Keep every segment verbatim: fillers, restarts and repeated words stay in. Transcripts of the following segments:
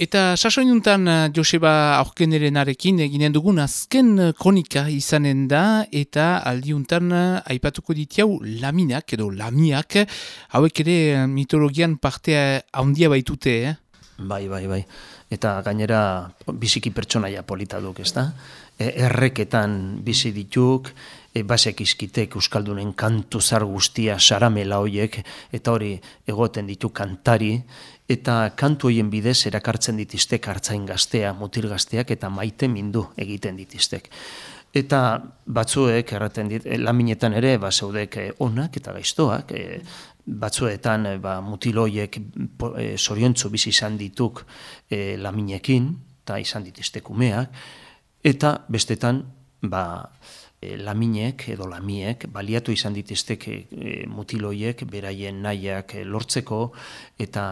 Eta sasoinuntan Joseba Aurkenerenarekin eginen dugun azken kronika izanen da, eta aldiuntan aipatuko ditiau laminak edo lamiak, hauek ere mitologian partea handia baitute, eh? Bai, bai, bai. Eta gainera biziki pertsonaia polita duk, ez da? E, erreketan bizi dituk, e, basek izkitek euskaldunen kantu zar guztia saramela hoiek, eta hori egoten ditu kantari, eta kantu hoien bidez erakartzen ditiztek hartzain gaztea, mutil gazteak, eta maite mindu egiten ditiztek. Eta batzuek erraten dit, laminetan ere, ba, zeudek onak eta gaiztoak, e, batzuetan ba, mutiloiek e, zoriontzu bizi izan dituk e, laminekin, eta izan ditiztek umeak, eta bestetan ba, e, laminek edo lamiek baliatu izan ditiztek e, mutiloiek beraien nahiak e, lortzeko, eta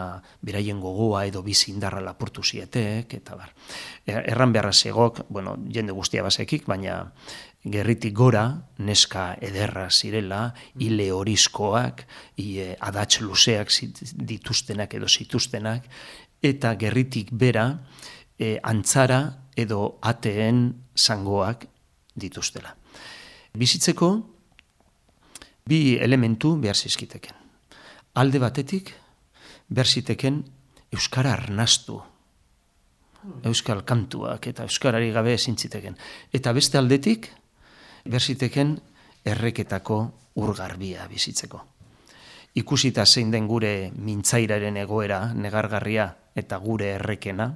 beraien gogoa edo bizi indarra lapurtu zietek, eta bar. Erran beharra zegok, bueno, jende guztia bazekik, baina gerritik gora, neska ederra zirela, hile horizkoak, e, adatz luzeak dituztenak edo zituztenak, eta gerritik bera, e, antzara edo ateen zangoak dituztela. Bizitzeko, bi elementu behar zizkiteken. Alde batetik, behar ziteken euskara arnastu, euskal kantuak eta euskarari gabe ezintziteken. Eta beste aldetik, berziteken erreketako urgarbia bizitzeko. Ikusita zein den gure mintzairaren egoera, negargarria eta gure errekena,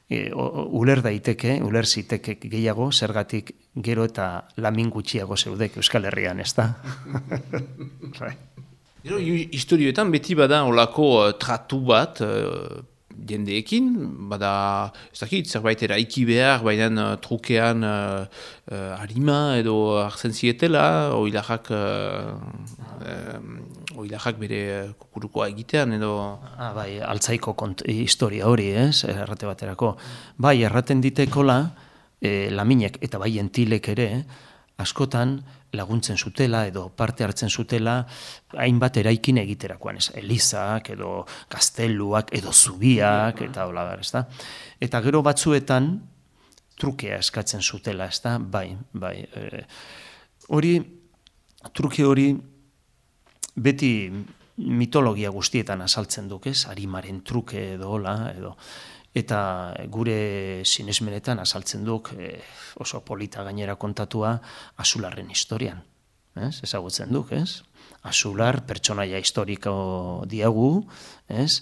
e, uler daiteke, uler ziteke gehiago, zergatik gero eta lamin gutxiago zeudek Euskal Herrian, ez da? Gero, historioetan beti bada olako uh, tratu bat, uh, jendeekin, bada, ez dakit, zerbait eraiki behar, baina uh, trukean uh, uh, harima edo hartzen zietela, oilajak, uh, uh, oilajak bere kukurukoa egitean edo... Ah, bai, altzaiko kont historia hori, ez, errate baterako. Bai, erraten ditekola, eh, laminek eta bai entilek ere, askotan laguntzen zutela edo parte hartzen zutela hainbat eraikin egiterakoan, ez, elizak edo gazteluak edo zubiak eta hola bar, ezta? Eta gero batzuetan trukea eskatzen zutela, ezta? Bai, bai. E, hori truke hori beti mitologia guztietan azaltzen duk, ez? Arimaren truke edo hola edo eta gure sinesmenetan azaltzen duk eh, oso polita gainera kontatua Azularren historian. Ez? Ezagutzen duk, ez? Azular pertsonaia historiko diagu, ez?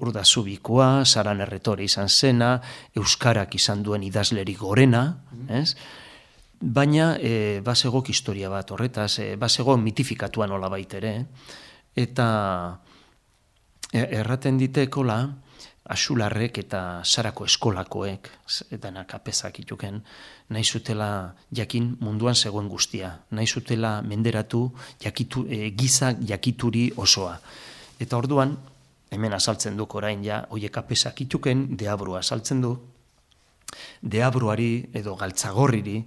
Urdazubikoa, Saran erretore izan zena, euskarak izan duen idazlerik gorena, ez? Baina e, basegok historia bat horretaz, e, basego mitifikatuan nola baitere, eta erraten ditekola, Azularrek eta Sarako eskolakoek, edanak apezak ituken, nahi zutela jakin munduan zegoen guztia, nahi zutela menderatu jakitu, e, giza jakituri osoa. Eta orduan, hemen azaltzen duk orain ja, hoiek apezak ituken, deabrua azaltzen du, deabruari edo galtzagorriri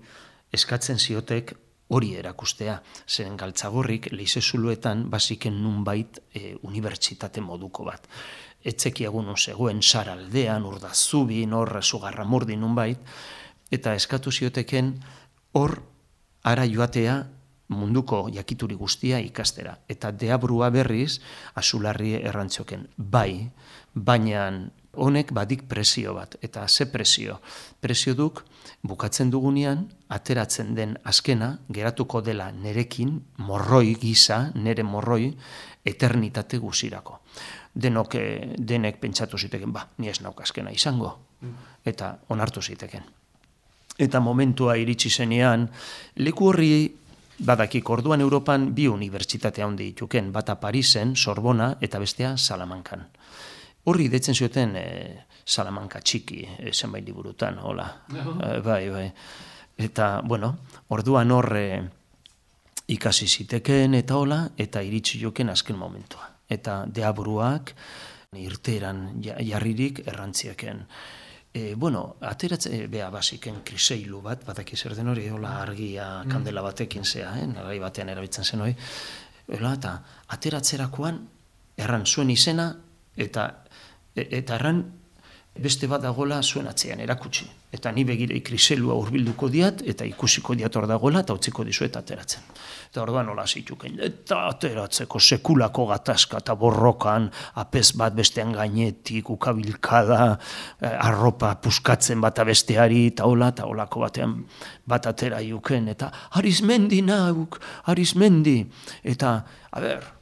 eskatzen ziotek hori erakustea, zeren galtzagorrik leizezuluetan basiken nunbait e, unibertsitate moduko bat. Etzekiagun zegoen saraldean, urdazubin, hor sugarramurdi nunbait, eta eskatu zioteken hor ara joatea munduko jakituri guztia ikastera. Eta deabrua berriz, Azularri errantzioken, bai, baina honek badik presio bat, eta ze presio? Presio duk, bukatzen dugunean, ateratzen den azkena, geratuko dela nerekin, morroi gisa, nere morroi, eternitate guzirako. Denok, denek pentsatu ziteken, ba, ni ez nauk azkena izango, eta onartu ziteken. Eta momentua iritsi zenean, leku horri badakik orduan Europan bi unibertsitate handi dituken, bata Parisen, Sorbona, eta bestea Salamankan. Horri detzen zioten e, Salamanka txiki, e, zenbait liburutan, hola. E, bai, bai. Eta, bueno, orduan horre ikasi ziteken eta hola, eta iritsi joken azken momentua. Eta deabruak irteeran jarririk errantziaken. E, bueno, ateratze, beha basiken kriseilu bat, batak zer den hori, hola argia kandela batekin zea, eh? Nagai batean erabiltzen zen hori. Eta ateratzerakoan erran zuen izena, eta, eta erran beste bat dagola zuen atzean erakutsi. Eta ni begirei kriselua hurbilduko diat, eta ikusiko diat hor dagoela, eta utziko dizuet ateratzen. Eta orduan nola zituken, eta ateratzeko sekulako gatazka eta borrokan, apez bat bestean gainetik, ukabilkada, arropa puskatzen bata besteari, eta hola, eta holako batean bat atera iuken, eta Arizmendi nauk, Arizmendi, eta, a ber,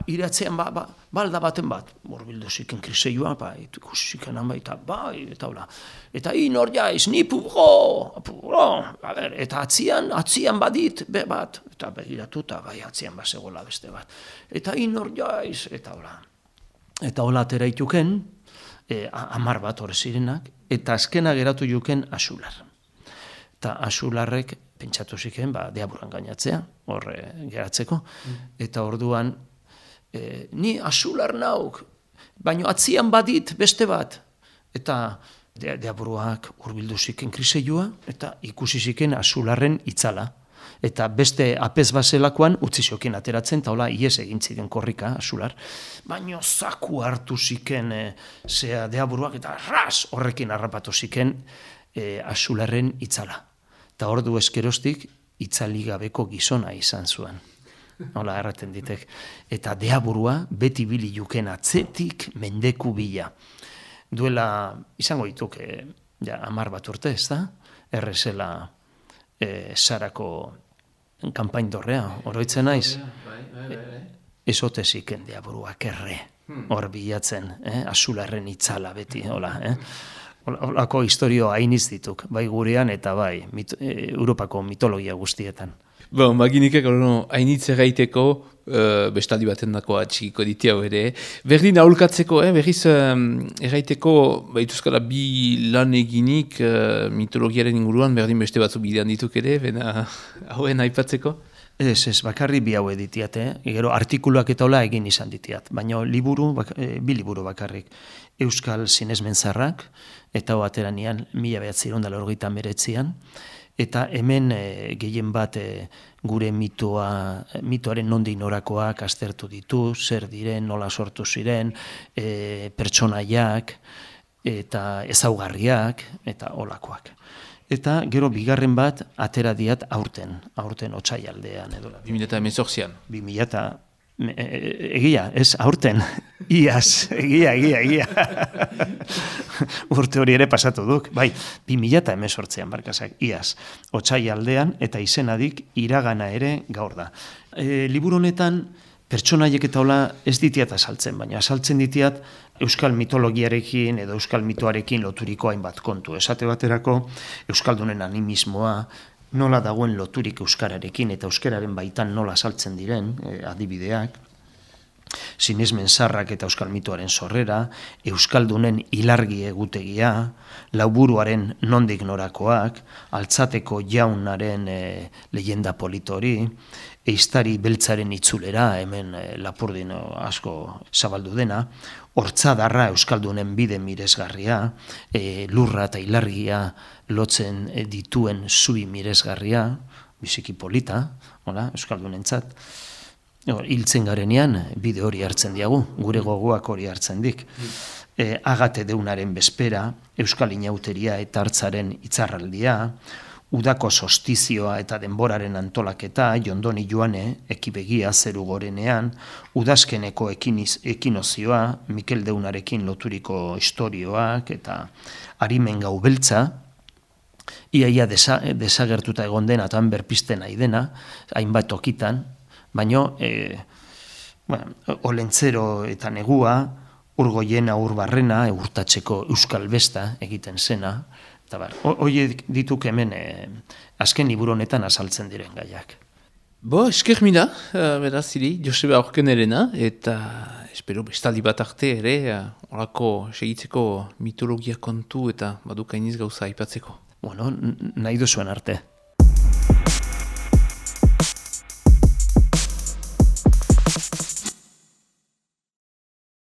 iratzean ba, ba, balda baten bat, borbildu ziken kriseioa, ba, ikusi ziken han baita, bai, eta hola. Eta hi nor jaiz, ni pubro, pubro, a ber, eta atzian, atzian badit, be bat, eta begiratu, eta bai, atzian bazegola beste bat. Eta hi nor jaiz, eta hola. Eta hola atera ituken, e, amar bat hor zirenak, eta azkena geratu juken Axular. Eta Axularrek pentsatu ziken, ba, deaburan gainatzea, hor e, geratzeko, eta orduan, E, ni Axular nauk, baino atzian badit beste bat. Eta de, deaburuak hurbildu ziken kriseioa, eta ikusi ziken Axularren itzala. Eta beste apez bazelakoan utzi ziokin ateratzen, eta hola ies egin ziren korrika Axular. Baino zaku hartu ziken e, zea deaburuak, eta ras horrekin harrapatu ziken e, Axularren itzala. Eta ordu eskerostik itzali gabeko gizona izan zuen. Hola, erraten ditek. Eta deaburua beti bili juken atzetik mendeku bila. Duela, izango dituk, e, ja, amar bat urte, ez da? Errezela e, Sarako kanpain dorrea, oroitzen naiz? Ezote ziken deaburuak erre, hor bilatzen, eh? Axularren itzala beti, hola, eh? Holako historio hainiz dituk, bai gurean eta bai, mit, e, Europako mitologia guztietan. Bon, maginikak hainitz erraiteko, uh, bestaldi baten dakoa txikiko ditiau ere. Berdin aholkatzeko, eh, berriz um, erraiteko, baituzkala bi lan eginik uh, mitologiaren inguruan, berdin beste batzu bidean dituk ere, bena hauen aipatzeko? Ez, ez, bakarri bi hau editiat, eh? Gero artikuluak eta hola egin izan ditiat, baina liburu, bak, e, bi liburu bakarrik. Euskal Sinesmenzarrak, eta ho ateranian, mila behatziron da lorgeita meretzian, eta hemen e, gehien bat e, gure mitoa, mitoaren nondik norakoak aztertu ditu, zer diren, nola sortu ziren, e, pertsonaiak, eta ezaugarriak, eta holakoak. Eta gero bigarren bat atera diat aurten, aurten otsaialdean edo. bi mila hemezortzian. bi mila eta egia, ez aurten, iaz, egia, egia, egia. Urte hori ere pasatu duk, bai, bi mila eta hemezortzian barkazak, iaz, otsaialdean eta izenadik iragana ere gaur da. E, liburu honetan pertsonaiek eta hola ez ditiat azaltzen, baina azaltzen ditiat euskal mitologiarekin edo euskal mitoarekin loturiko hainbat kontu. Esate baterako euskaldunen animismoa, nola dagoen loturik euskararekin eta euskararen baitan nola azaltzen diren eh, adibideak, sinesmenzarrak eta euskal mitoaren sorrera, euskaldunen ilargi egutegia, lauburuaren nondik norakoak, altzateko jaunaren eh, leyenda politori, eiztari beltzaren itzulera, hemen eh, Lapurdin asko zabaldu dena, hortzadarra euskaldunen bide miresgarria, e, lurra eta ilargia lotzen dituen zui miresgarria, biziki polita, hola, euskaldunentzat. Hiltzen garenean bide hori hartzen diagu, gure gogoak hori hartzen dik. E, agate deunaren bezpera, euskal inauteria eta hartzaren itzarraldia, udako sostizioa eta denboraren antolaketa, jondoni joane, ekibegia zeru gorenean, udazkeneko ekiniz, ekinozioa, Mikel Deunarekin loturiko istorioak, eta harimen gau beltza, iaia desa, desagertuta egon dena, eta berpisten nahi dena, hainbat tokitan, baino, e, bueno, olentzero eta negua, urgoiena urbarrena, urtatzeko euskal besta egiten zena, eta bar, horiek dituk hemen eh, azken liburu honetan azaltzen diren gaiak. Bo, esker mina, uh, beraz, ziri, Joseba Aurkenerena, eta espero bestaldi bat arte ere, uh, orako segitzeko mitologia kontu eta badukainiz gauza aipatzeko. Bueno, nahi duzuen arte.